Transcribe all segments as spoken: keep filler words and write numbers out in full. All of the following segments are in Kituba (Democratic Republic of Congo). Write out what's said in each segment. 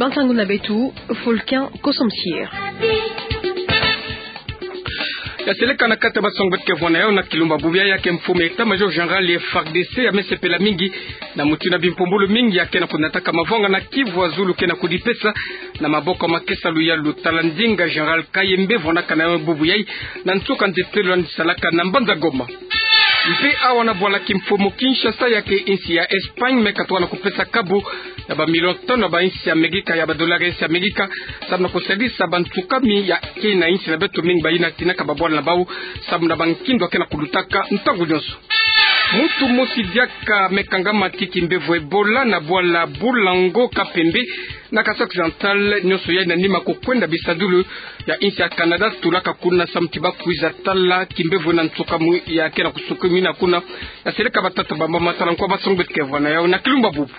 Nsangu na beto, Volcan Kosomsier. Ya seleka na kati ya basongo beto ke vwanda yau na kilumbu bubu yayi, ya ke mfumu ya État-Major Général ya F A R D C, ya me sepela mingi na mutindu bimpumbulu mingi ya ke na kunataka mavwanga na Kivu ya zulu ke na kudipesa na maboko makesa luyalu. Tala ndinga Général Kayembe vwanakana bubu yayi na nsuka nzietelo yandi salaka na mbanza Goma. Mpe awa na bwala kimfumu Kinshasa, ya ke insi ya Espagne me katuka na kupesa kabu ya ba million tano ya ba insi ya Amerika, ya ba dollar ya insi ya Amerika, samu na kusadisa bantsukami ya ke na insi na beto mingi, bayina tinaka babwala na bau samu na bankindo ya ke na kulutaka ntangu nyonso. Muntu mosi diaka me kangama ti kimbevo Ebola na bwala Bulango Kapembe na Kasai Occidental, nyonso yayi na nima kukwenda bisadulu ya insi ya Canada, tulaka kuna samu ti bakwiza tala kimbevo na ntsukamu ya ke na kusukumina kuna. Ya seleka batata bamama, tala nkwa basongo beto ke vwanda yau na kilumbu bubu.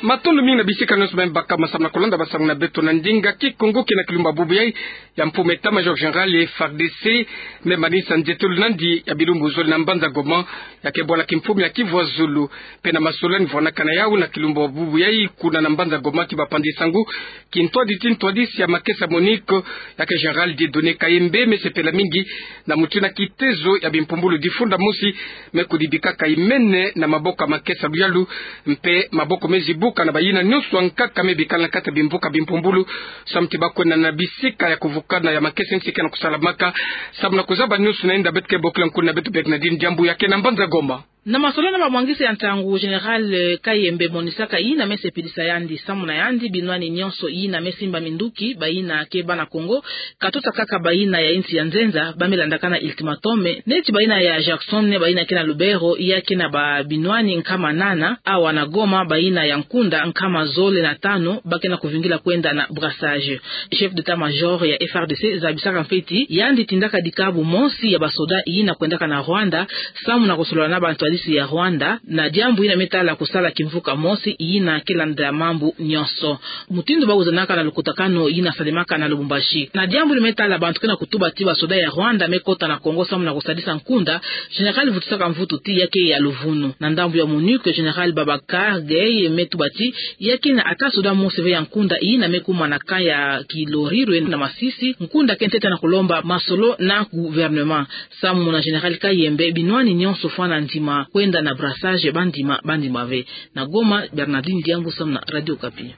Matondo mingi na bisika nyonso me baka masamu na kulanda basangu na beto na ndinga Kikongo ke na kilumbu bubu yayi. Ya mfumu ya État-Major Général ya F A R D C me manisa nzietelo na yandi ya bilumbu zole na mbanza Goma, ya ke bwala kimfumu ya Kivu ya zulu. Mpe na masolo yandi vwanakana yau na kilumbu bubu yayi kuna na mbanza Goma ti bapandi sangu, kintwadisi ti ntwadisi ya makesa MONUC, ya ke Général Dieudonné Kayembe, me sepela mingi na mutindu kitezo ya bimpumbulu difunda mosi me kudibikaka imene na maboko makesa luyalu, mpe maboko me zibuka na bayina nyonso ankaka me bikala na kati ya bimvuka bimpumbulu, samu ti bakwenda na bisika ya kuvukana ya makesa nsi ke na kusalamaka, samu na kuzaba nyonso na yinda. Beto ke bokila nkuna na beto Bernardine Diambu, ya ke na mbanza Goma. Na masolo na bamwangisi ya ntangu, Général, eh, Kayembe monisaka yina me sepelisa yandi, samu na yandi binwani nyonso yina me simba minduki, bayina ke bana Kongo, katusa kaka bayina ya insi ya nzenza, ba me landakana ultimatum, neti bayina ya Jackson, bayina ke na Lubero, ya ke na ba binwani nkama nana, awa na Goma, bayina ya nkunda nkama zole na tanu ba ke na kuvingila kwenda na brassage. Chef d'état-major ya F A R D C zabisaka mpe ti yandi tindaka dikabu mosi ya basoda yina kwendaka na Rwanda, samu na kusolola na bantwadisi ya Rwanda na diambu yina me tala kusala kimvuka mosi yina ke landa mambu nyonso, mutindu ba wizanaka na lukutakanu yina salemaka na Lubumbashi. Na diambu yina me tala bantu ke na kutuba ti basoda ya Rwanda me kota na Kongo samu na kusadisa nkunda, Général vutusaka mvutu ti ya ke ya luvunu. Na ndambu ya MONUC, Général Babacar Gaye me tuba ti ya ke na ata soda mosi ve ya nkunda yina me kuma na camp ya Kilorirwe na Masisi, nkunda ke ntete na kulomba masolo na gouvernement. Samu na Général Kayembe, binwani nyonso fwana ndima kwenda na brassage, ba ndima, ba ndima ve. Na Goma, Bernardine Diambu samu na Radio Okapi.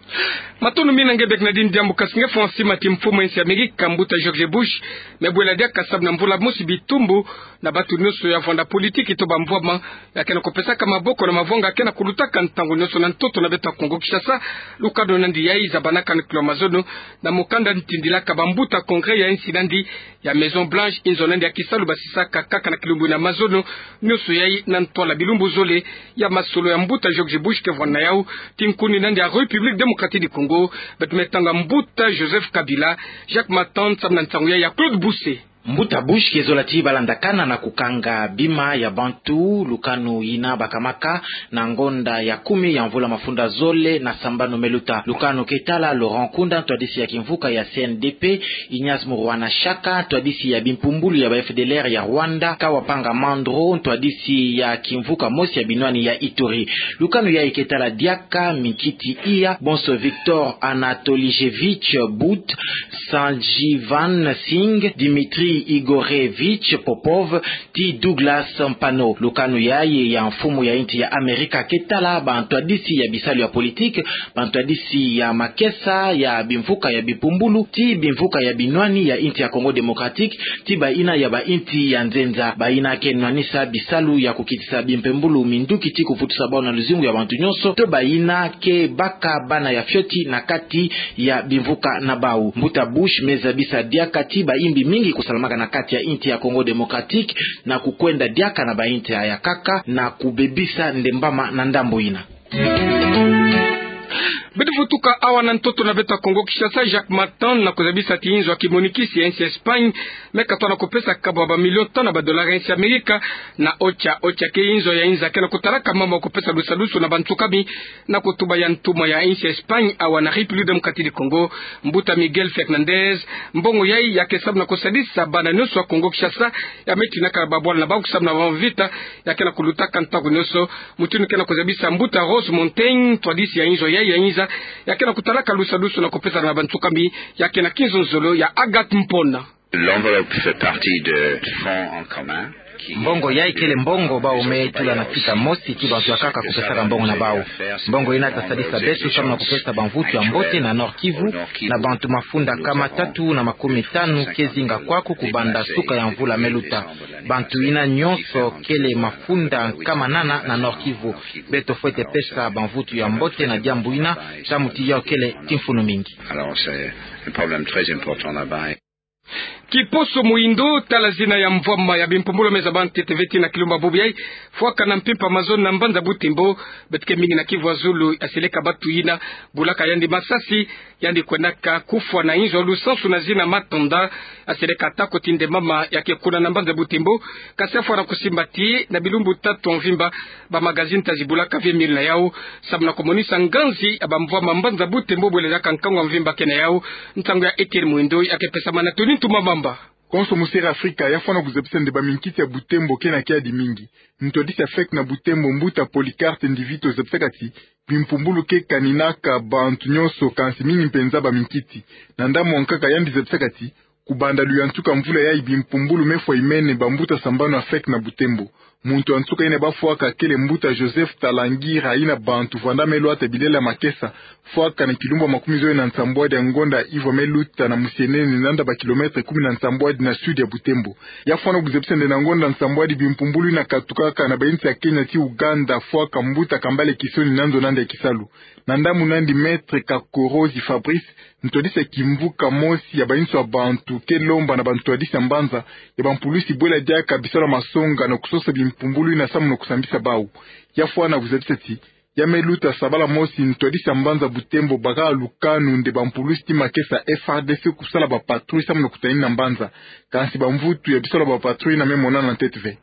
Matondo mingi na nge Bernardine Diambu. Kasi nge fwa sima ti mfumu ya insi ya Amerika, mbuta George Bush, me bwela diaka samu na mvula mosi bitumbu na bantu nyonso ya vwanda politiki to bamvwama, ya ke na kupesaka maboko na mavwanga ke na kulutaka ntangu nyonso na ntoto na beto ya Kongo Kinshasa. Lukanu na yandi yayi zabanaka na kilo mazono na mukanda ntindilaka bambuta Congrès ya insi na yandi ya Maison Blanche, inzo na yandi ya kisalu basisaka kaka na kilumbu na mazono nyonso yayi na ntwala bilumbu zole ya masolo ya mbuta George Bush ke vwanda yau ti nkuni na yandi ya République Démocratique du Congo, beto me tanga mbuta Joseph Kabila. Jacques Matand samu na nsangu yayi ya Claude Busse. Mbuta Bush ke zola ti balandakana na kukanga bima ya bantu, lukanu yina bakamaka na ngonda ya kumi ya mvula mafunda zole na sambanu me luta. Lukanu ke tala Laurent Nkunda, ntwadisi ya kimvuka ya C N D P, Ignace Muruana Shaka, ntwadisi ya bimpumbulu ya ba F D L R ya Rwanda, Kawapanga Mandro, ntwadisi ya kimvuka mosi ya binwani ya Ituri. Lukanu yayi ke tala diaka Minkiti Iya, bonso Viktor Anatolijevich But, Sanjivan Singh, Dmitri Igorevich Popov, ti Douglas Mpano. Lukanu yayi ya mfumu ya insi ya Amerika ke tala bantwadisi ya bisalu ya politique, bantwadisi ya makesa ya bimvuka ya bipumbulu, ti bimvuka ya binwani ya insi ya Congo Démocratique, ti bayina ya ba insi ya nzenza, bayina ke nwanisa bisalu ya kukitisa bimpembulu minduki ti kuvutusa bau na luzingu ya bantu nyonso, to bayina ke baka bana ya fioti na kati ya bimvuka na bau. Mbuta Bush me zabisa diaka ti bayimbi mingi kusalamaka na kati ya insi ya Congo Démocratique na kukwenda diaka na ba insi ya nkaka na kubebisa ndembama na ndambu yina. Beto vutuka awa na ntoto na beto ya Kongo Kinshasa, Jacques Matand, na kuzabisa ti inzo ya kimonikisi ya insi ya Espagne me katuka na kupesa kabu ya ba million tano ya ba dollars ya insi ya Amerika na OCHA. OCHA ke inzo ya inza ke na kutalaka mambu ya kupesa lusadusu na bantsukami, na kutuba ya ntumwa ya insi ya Espagne awa na République Démocratique du Congo, mbuta Miguel Fernandez. Mbongo yayi ya ke samu na kusadisa bana nyonso ya Kongo Kinshasa ya me tinaka babwala na bau samu na bamvita ya ke na kulutaka ntangu nyonso. Mutindu ke na kuzabisa mbuta Rose Montaigne, ntwadisi ya inzo yayi ya inza, ya ke na kutalaka lusalusu na kupesana na bansuka mi, ya ke na kinzonzolo ya Agathe Mpona. L'enveloppe fait partie de fonds en commun. Mbongo yayi kele mbongo bawu me tula na sika mosi ti bantu ya nkaka kupesaka mbongo na bawu. Mbongo yina ta sadisa beto samu na kupesa bamvutu ya mbote na Nord-Kivu, na bantu mafunda nkama tatu na makumi tanu ke zinga kwaku kubanda suka ya mvula me luta. Bantu yina nyonso kele mafunda nkama nana na Nord-Kivu. Beto fwete pesa bamvutu ya mbote na diambu yina, samu ti yawu kele ti mfunu mingi. Alors, c'est un problème très important là-bas. Kiposo Muhindo, tala zina ya mvwama ya bimpumbulu me zaba ntete ve ti na kilumbu bubu yayi, fwaka na mpimpa mazono na mbanza Butembo. Beto ke mingi na Kivu ya zulu, ya seleka batu yina bulaka yandi masasi, yandi kwenaka kufwa na inzo lusansu na zina Matanda, ya seleka atako ti nde mama ya ke kuna na mbanza Butembo. Kasi ya fwana kusimba ti na bilumbu tatu ya mvimba, ba magazine ta zibulaka ve milu na yawu, samu na kumonisa nganzi ya bamvwama mbanza Butembo bwele diaka nkangu ya mvimba ke na yawu. Nsangu ya Etienne Muhindo ya ke pesama na Tony Ntumamamba. Konso Musere Afrika ya fwana kuzebisa nde baminkiti ya Butembo ke na kiadi mingi. Ntwadisi ya fek na Butembo, mbuta Polycarpe Ndivito, zebisaka ti bimpumbulu ke kaninaka bantu nyonso, kansi mingi mpenza baminkiti. Na ndambu ya nkaka, yandi zebisaka ti kubanda luyantika mvula yayi, bimpumbulu me fwa imene bambuta sambanu ya fek na Butembo. Muntu ya nsuka yina ba fwaka kele mbuta Joseph Talangira, yina bantu vwanda me lwata bilele ya makesa, fwaka na kilumbu ya makumi zole na nsambwadi ya ngonda yivwa me luta na musienene, nanda ba kilomètre kumi na nsambwadi na sud ya Butembo. Ya fwana kuzebisa nde na ngonda nsambwadi bimpumbulu yina katukaka na bayinsi ya Kenya ti Uganda, fwaka mbuta Kambale Kisoni na nzo na nde ya kisalu. Na ndambu na yandi, Maître Kakorozi Fabrice, ntwadisi ya kimvuka mosi ya bayinsi ya bantu, ke lomba na bantwadisi ya mbanza ya bampulusi bwela diaka bisalu ya masonga na kusosa bimpumbulu yina samu na kusambisa bawu. Ya fwana kuzebisa ti ya me luta sabala mosi, ntwadisi ya mbanza Butembo baka lukanu nde bampulusi ti makesa F A R D C kusala bapatrouille samu na kutanina mbanza. Kansi bamvutu ya bisalu ya bapatrouille yina me monana ntete ve.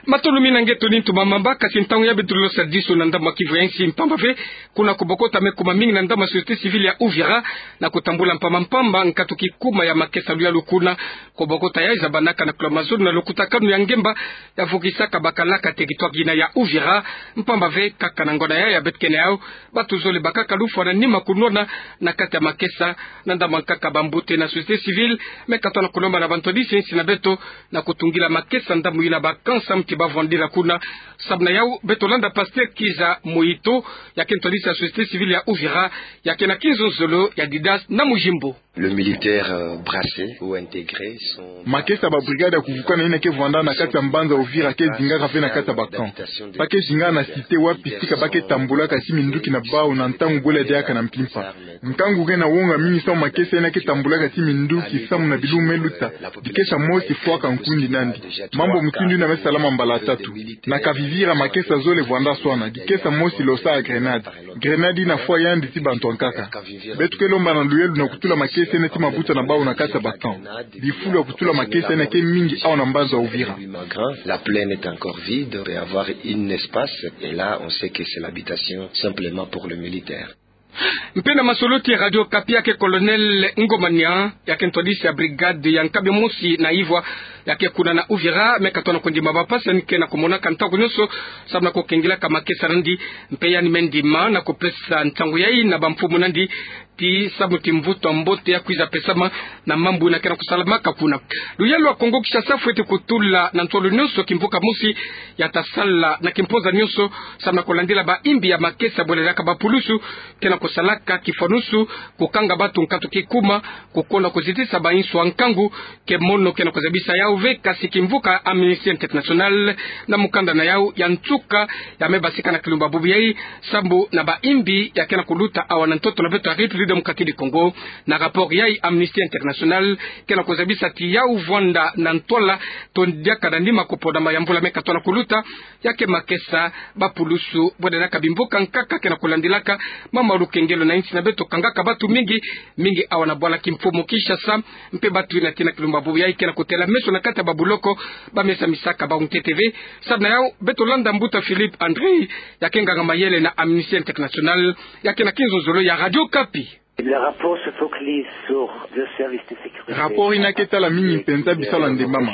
Matondo mingi na nge Tony Ntumamamba. Kasi ntangu ya beto losadisu na ndambu ya Kivu ya nsi, mpamba ve kuna kubokota me kuma mingi na ndambu ya société civile ya Uvira, na kutambula mpamba mpamba nkatu kikuma ya makesa luyalu kuna. Kubokota yayi zabanaka na kula mazono na lukutakanu ya ngemba ya vukisaka bakalaka territoire yina ya Uvira. Mpamba ve kaka na ngonda yayi ya beto ke na yawu, batu zole bakaka lufwa na nima kunwana na kati ya makesa. Na ndambu ya nkaka, bambote na société civile me katona kulomba na bantwadisi ya nsi na beto na kutungila makesa ndambu yina ba camp samu ti ba vwandila kuna. Samu na yawu beto landa Pasteur Kiza Moito, ya ke ntwadisi ya société civile ya Uvira, ya ke na kinzonzolo ya Didas na Mujimbo. Le militaire, euh, brassé ou intégré sont... Makesa ya babrigade ya kuvukana yina ke vwanda na kati ya mbanza Uvira ke zingaka ve na kati ya ba camp. Ba ke zingaka na cité wapi sika ba ke tambulaka ti minduki na bawu na ntangu bwela diaka na mpimpa. Nkangu ke na wonga mingi samu makesa yina ke tambulaka ti minduki samu na bilumbu me luta, dikesa mosi fwaka nkundi na yandi. Mambu mutindu yina me salama mbala tatu. Na Kavivira makesa zole vwanda swana, dikesa mosi losa ya grenade. Grenade yina fwa yandi ti bantu ya nkaka. Beto ke lomba na luyelu na kutula makesa yina ti mabuta na bawu na kati ya ba camp. Bifulu ya kutula makesa yina ke mingi awa na mbanza Uvira. La plaine est encore vide, on peut avoir un espace, et là, on sait que c'est l'habitation simplement pour le militaire. Mpe na masolo ti Radio Okapi, ya ke Colonel Ngomania, ya ke ntwadisi ya brigade ya nkabi mosi na yivwa, ya ke kuna na Uvira, me katona kundima bampasi yandi ke na kumonaka ntangu nyonso samu na kukengelaka makesa na yandi. Mpe yandi me ndima na kupesa nsangu yayi na bamfumu na yandi ti samu ti mvutu ya mbote ya kwiza pesama na mambu yina ke na kusalamaka kuna. Luyalo ya Kongo Kinshasa fweti kutula na ntolo nyonso kimvuka mosi ya ta sala na kimpoza nyonso samu na kulandila bayimbi ya makesa bwela diaka bapulusu ke na kusalaka kifwanusu, kukanga batu nkatu kikuma, kukonda kuzitisa bainsu ya nkangu. Ke mono ke na kuzabisa yawu ve, kasi kimvuka Amnesty International na mukanda na yawu ya nsuka ya me basika na kilumbu bubu yayi, sambu na bayimbi ya ke na kuluta awa na ntoto na beto ya République Démocratique du Congo. Na rapport yayi, Amnesty International ke na kuzabisa ti yawu vwanda na ntwala to diaka na nima kupona mayambula me katona kuluta, ya ke makesa bapulusu bwela diaka bimvuka nkaka ke na kulandilaka mama lukengelo na insi na beto, kangaka batu mingi, mingi awa na bwala kimfumu Kinshasa. Mpe batu yina ti na kilumbu bubu yayi ke na kutela meso na kati ya babuloko, ba me samisaka bawu ntete ve. Samu na yawu beto landa mbuta Philippe André, ya ke nganga mayele na Amnesty International, ya ke na kinzonzolo ya Radio Okapi. Le rapport se focalise sur deux services de sécurité. Rapport ina ke tala mingi mpenza bisalu ya ndembama.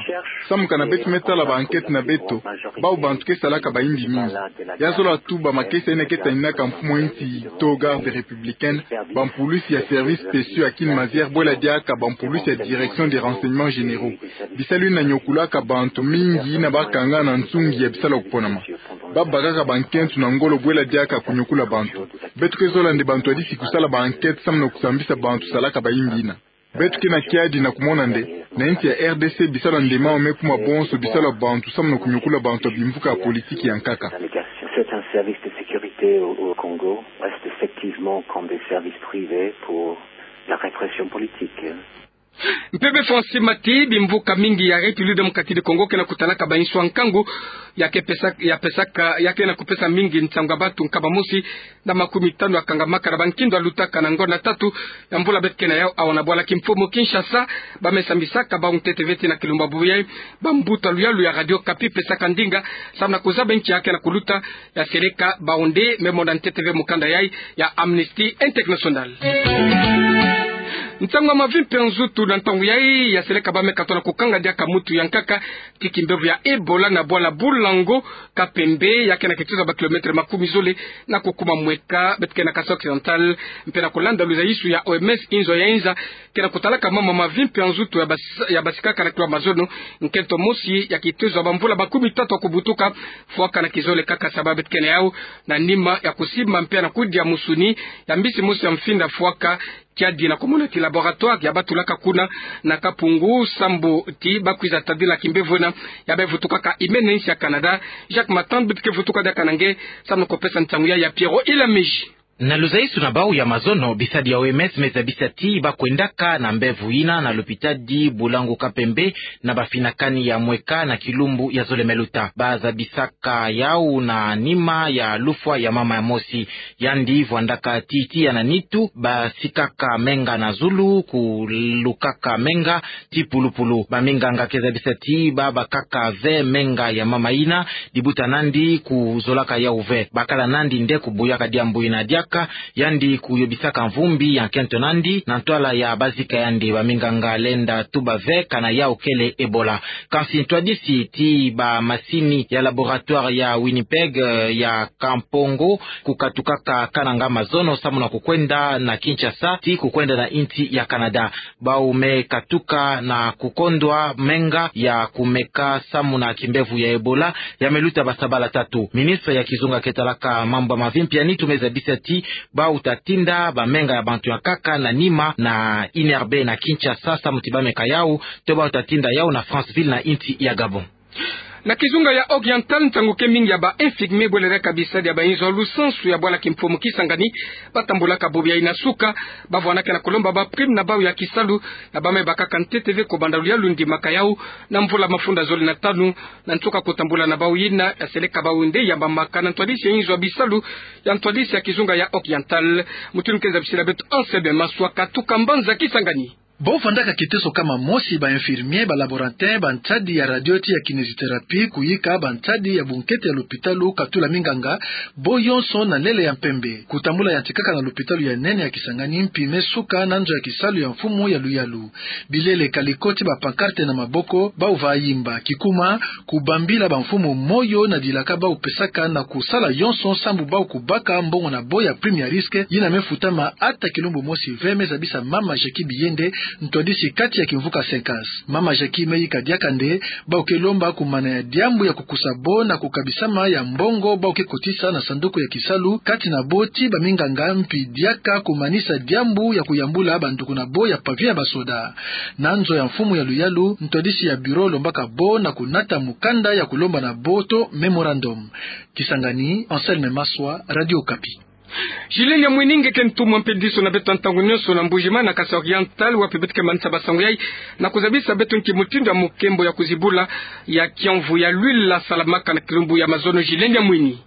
Samu kana beto me tala ba enquête na beto, bawu bantu ke salaka bayimbi mingi. Ya zola tuba makesa ina ke taninaka mfumu a insi to garde républicaine, bampulusi ya services spéciaux ya kin mazière bwela diaka bampulusi ya direction des renseignements généraux. Bisalu ina niokulaka bantu mingi ina bakanga na nsungi ya bisalu ya kuponama. Babakaka bankento na ngolo bwela diaka kuniokula bantu. Beto ke zola nde bantwadisi kusala ba enquête samu na kusambisa bantu salaka bayimbi ina. Beto ke na kiadi na kumona nde, na insi ya R D C bisalu ya ndembama me kuma bonso bisalu ya bantu samu na kuniokula bantu ya bimvuka ya politiki ya nkaka. C'est un service de sécurité au, au Congo, reste effectivement comme des services privés pour la répression politique. Mpeve Francis Mati, bimvuka mingi ya République démocratique du Congo ke na kutalaka bainsu ya nkangu, ya ke pesa, ya pesaka, ya ke na kupesa mingi nsangu ya bantu nkama mosi na makumi tanu ya kangamaka na bankindo ya lutaka na ngonda tatu ya mvula beto ke na yau awa na bwala kimfumu Kinshasa. Ba me sambisaka bawu ntete ve ti na kilumbu ya bubu yai, bambuta luyalu ya Radio Okapi pesaka ndinga samu na kuzaba nki ya ke na kuluta. Ya seleka bawu nde me mona ntete ve mukanda yai ya Amnesty International. Nsangu ya mavi mpe ya nzutu na ntangu yai, ya seleka ba me katola kukanga diaka mutu ya nkaka ti kimbevo ya Ebola na bwala Boulango Kapembe, ya ke na kituza ba kilomètre makumi zole na kukuma mweka beto ke na Kasaï Occidental, mpe na kulanda luzaisu ya O M S, inzo ya inza ke na kutalaka mama mavi mpe ya nzutu ya bas-, ya basikaka na kilo ya mazono, nkento mosi ya kituza bamvula makumi tatu ya kubutuka, fwaka na kizole kaka saba beto ke na yau, na nima ya kusimba mpe na kudia musuni ya mbisi mosi ya mfinda fwaka, kiadi na kumona ti laboratoire ya batulaka kuna na Kapungu, sambu ti bakwiza tadila kimbevo ina ya bayi vutukaka imene insi ya Canada. Jacques Matand beto ke vutuka diaka na nge samu na kupesa nsangu yai ya Pierrot Ilamiji. Na luzaisu na bawu ya mazono, bisadi ya O M S me zabisa ti ba kwendaka na mbevo ina na lupitadi Boulango Kapembe na bafinakani ya mweka na kilumbu ya zole me luta. Ba zabisaka yau na nima ya lufwa ya mama mosi. Yandi vwandaka ti tiya na nitu, basikaka menga na zulu, kulukaka menga ti pulupulu. Baminganga ke zabisa ti ba bakaka ve menga ya mama ina, dibuta nandi kuzolaka yau ve. Bakala nandi nde kubuyaka diambu ina diaka, yandi kuyobisaka mvumbi ya nkento nandi na ntwala ya bazika yandi. Baminganga lenda tuba ve kana yau kele Ebola. Kansi ntwadisi ti bamasini ya laboratoire ya Winnipeg, eh, ya Kampongo, kukatukaka Kananga mazono samu na kukwenda na Kinshasa ti kukwenda na insi ya Canada. Bawu me katuka na kukondwa menga ya kumeka samu na kimbevo ya Ebola ya me luta basabala tatu. Ministre ya kizunga ke talaka mambu ya mavi mpe ya nitu me zabisa ti bawu ta tinda bamenga ya bantu ya nkaka na nima na I N R B na Kinshasa samu ti ba meka yau, to bawu ta tinda yau na Franceville na insi ya Gabon. Na kizunga ya Oriental, nsangu ke mingi ya ba infirmier bwele diaka bisadi ya bainzo ya lusansu ya bwala kimfumu Kisangani, batambulaka bobo yai na suka, bavwanaka na kulomba ba prime na bawu ya kisalu, na ba me bakaka ntete ve kubanda luyalu ndimaka yau, na mvula mafunda zole na tanu, na nsuka kutambula na bawu ina, ya seleka bawu nde yambamaka na ntwadisi ya inzo ya bisalu ya ntwadisi ya kizunga ya Oriental. Mutindu ke zabisila beto Anselme Maswa katuka mbanza Kisangani. Bo vandaka kiteso kama mosi ba infirmier, ba laborantin, bansadi ya radio ti ya kinésithérapie, kuyika bansadi ya bunkete ya lupitalu, katula minganga, bo yonso na lele ya mpembe. Kutambula yantikaka na lupitalu ya nene ya Kisangani, mpi me suka na nzo ya kisalu ya mfumu ya luyalu. Bilele ka likoti ba pancarte na maboko, bawu va yimba. Kikuma, kubambila bamfumu moyo na dilaka bawu pesaka na kusala yonso sambu bawu kubaka mbongo na bo ya prime ya risque, yina me futama ata kilumbu mosi ve, me zabisa mama Jackie Biyende, ntwadisi kati ya kimvuka Senkans. Mama Jackie me yika diaka nde, bawu ke lomba kumana ya diambu ya kukusa bo na kukabisama ya mbongo bawu ke kotisa na sanduku ya kisalu kati na bo ti baminganga, mpi diaka kumanisa diambu ya kuyambula banduku na bo ya pavillon ya basoda. Na nzo ya mfumu ya luyalu, ntwadisi ya bureau lombaka bo na kunata mukanda ya kulomba na bo to mémorandum. Kisangani, Anselme Maswa, Radio Okapi. Julien Nyamwini, nge ke ntumwa mpe diso na beto ya ntangu nyonso na Mbuji-Mayi na Kasaï Oriental, wapi beto ke manisa ba sango yai, na kuzabisa beto nki mutindu ya mukembo ya kuzibula ya kiamvu ya l'huile ya salamaka na kilumbu ya mazono. Julien Nyamwini.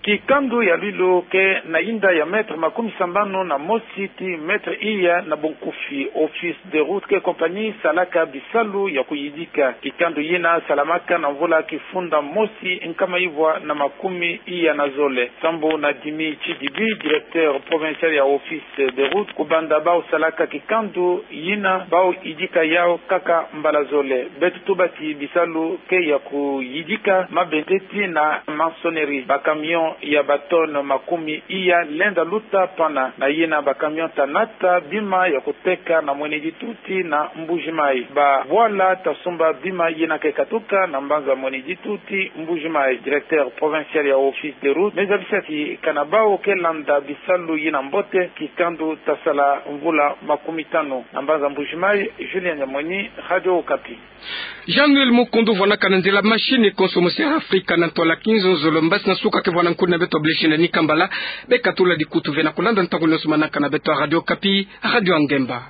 Kikandu ya lwilu ke na yinda ya mètre makumi sambanu na mosi ti mètre iya na bonkufi. Office des routes ke compagnie salaka bisalu ya kuyidika kikandu yina salamaka na mvula kifunda mosi nkama ivwa na makumi iya na zole. Sambu na Dimi Chidibi, directeur provincial ya Office des routes, kubanda bau salaka kikandu yina bau yidika yau kaka mbala zole. Beto tubaki bisalu ke ya kuyidika mabendeti na maçonnerie, ba camion ya ba tonne makumi iya lenda luta pana, na yina ba camion ta nata bima ya kuteka na mwenedi tuti na Mbuji Mayi. Ba bwala ta sumba bima yina ke katuka na mbanza mwenedi tuti Mbuji Mayi. Directeur provincial ya Office des routes me zabisaki kana bau ke landa bisalu yina mbote, kikandu ta sala mvula makumi tanu. Na mbanza Mbuji Mayi, Julien Nyamweni, Radio Okapi. Jean-Noël Mukundu vwanakana nzila machine konso mosi ya Afrika na ntwala kinzonzolo, mbasi na nsuka ke vwana nkuna beto blessing na nikambala. Bekatula dikutu ve na kulanda ntangu nionso manaka na beto a Radio Okapi, Radio a Ngemba.